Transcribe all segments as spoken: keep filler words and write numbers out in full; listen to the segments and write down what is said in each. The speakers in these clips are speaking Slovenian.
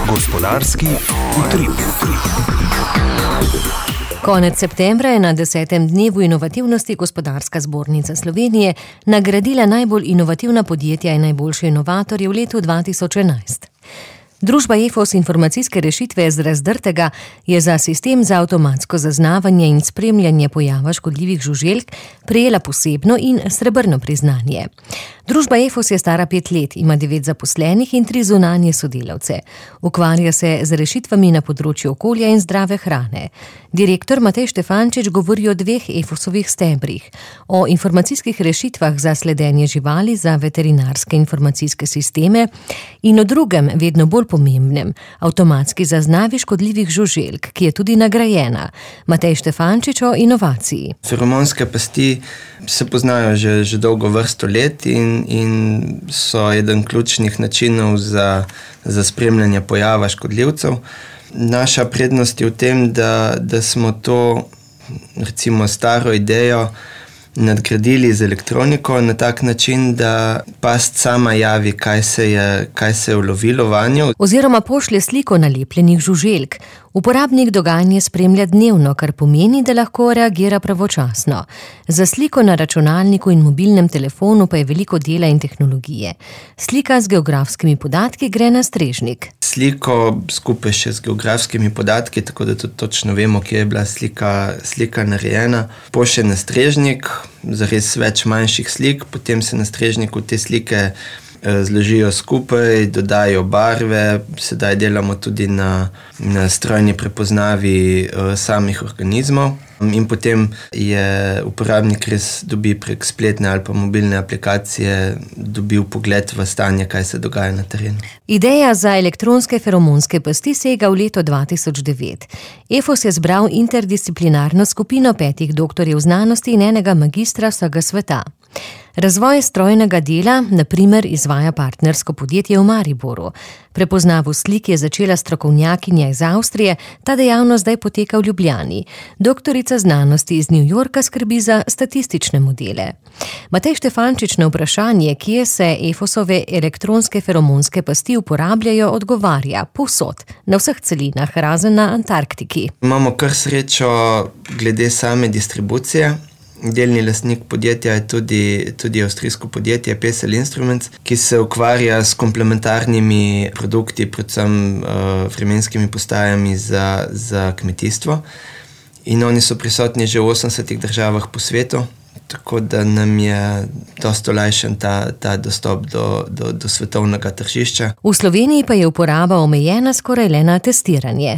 Gospodarski utrip. Konec septembra je na desetem dnevu inovativnosti Gospodarska zbornica Slovenije nagradila najbolj inovativna podjetja in najboljše inovatorje v letu dva tisoč enajst. Družba Efos informacijske rešitve z Razdrtega je za sistem za avtomatsko zaznavanje in spremljanje pojava škodljivih žuželk prejela posebno in srebrno priznanje. Družba Efos je stara pet let, ima devet zaposlenih in tri zunanje sodelavce. Ukvarja se z rešitvami na področju okolja in zdrave hrane. Direktor Matej Štefančič govori o dveh Efosovih stebrih, o informacijskih rešitvah za sledenje živali za veterinarske informacijske sisteme in o drugem, vedno bolj pomembnem, avtomatski zaznavi škodljivih žuželk, ki je tudi nagrajena. Matej Štefančič o inovaciji. Feromonske pasti se poznajo že, že dolgo vrsto let in, in so eden ključnih načinov za, za spremljanje pojava škodljivcev. Naša prednost je v tem, da, da smo to, recimo, staro idejo nadgradili z elektroniko na tak način, da past sama javi, kaj se je, kaj se je ulovilo vanjo. Oziroma pošlje sliko nalepljenih žuželk. Uporabnik dogajanje spremlja dnevno, kar pomeni, da lahko reagira pravočasno. Za sliko na računalniku in mobilnem telefonu pa je veliko dela in tehnologije. Slika z geografskimi podatki gre na strežnik. Sliko skupaj še z geografskimi podatki, tako da tudi točno vemo, kje je bila slika, slika narejena. Pošlje na strežnik, zares več manjših slik, potem se na strežniku te slike zložijo skupaj, dodajo barve, sedaj delamo tudi na, na strojni prepoznavi uh, samih organizmov in potem je uporabnik res dobi prek spletne ali pa mobilne aplikacije dobil pogled v stanje, kaj se dogaja na terenu. Ideja za elektronske feromonske pasti sega v leto dva tisoč devet. Efos je zbral interdisciplinarno skupino petih doktorjev znanosti in enega magistra vsega sveta. Razvoj strojnega dela, na primer, izvaja partnersko podjetje v Mariboru. Prepoznavo slik je začela strokovnjakinja iz Avstrije, ta dejavnost zdaj poteka v Ljubljani. Doktorica znanosti iz New Yorka skrbi za statistične modele. Matej Štefančič na vprašanje, kje se Efosove elektronske feromonske pasti uporabljajo, odgovarja: povsod, na vseh celinah, razen na Antarktiki. Imamo kar srečo glede same distribucije. Delni lastnik podjetja je tudi, tudi avstrijsko podjetje P S L Instruments, ki se ukvarja s komplementarnimi produkti, predvsem uh, vremenskimi postajami za, za kmetijstvo. In oni so prisotni že v osemdesetih državah po svetu, tako da nam je dosti olajšan ta, ta dostop do, do, do svetovnega tržišča. V Sloveniji pa je uporaba omejena skoraj le na testiranje.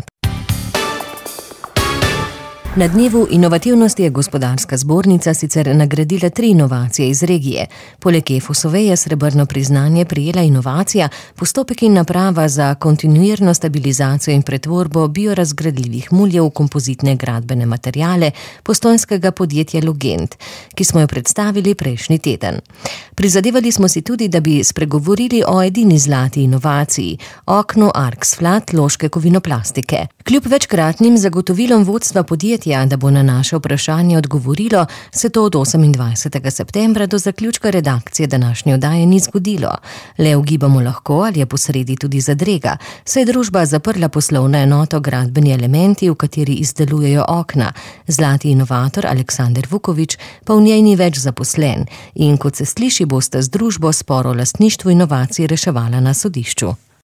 Na dnevu inovativnosti je Gospodarska zbornica sicer nagradila tri inovacije iz regije. Poleg Efosove je srebrno priznanje prejela inovacija, postopek in naprava za kontinuirno stabilizacijo in pretvorbo biorazgradljivih muljev v kompozitne gradbene materiale postojnskega podjetja Logent, ki smo jo predstavili prejšnji teden. Prizadevali smo si tudi, da bi spregovorili o edini zlati inovaciji, oknu Arksflat loške kovinoplastike. Kljub večkratnim zagotovilom vodstva podjetja, da bo na naše vprašanje odgovorilo, se to od osemindvajsetega septembra do zaključka redakcije današnje oddaje ni zgodilo. Le ugibamo lahko, ali je posredi tudi zadrega, saj je družba zaprla poslovno enoto Gradbeni elementi, v kateri izdelujejo okna. Zlati inovator Aleksander Vukovič pa v njej ni več zaposlen in, kot se sliši, bosta z družbo spor o lastništvu inovacij reševala na sodišču.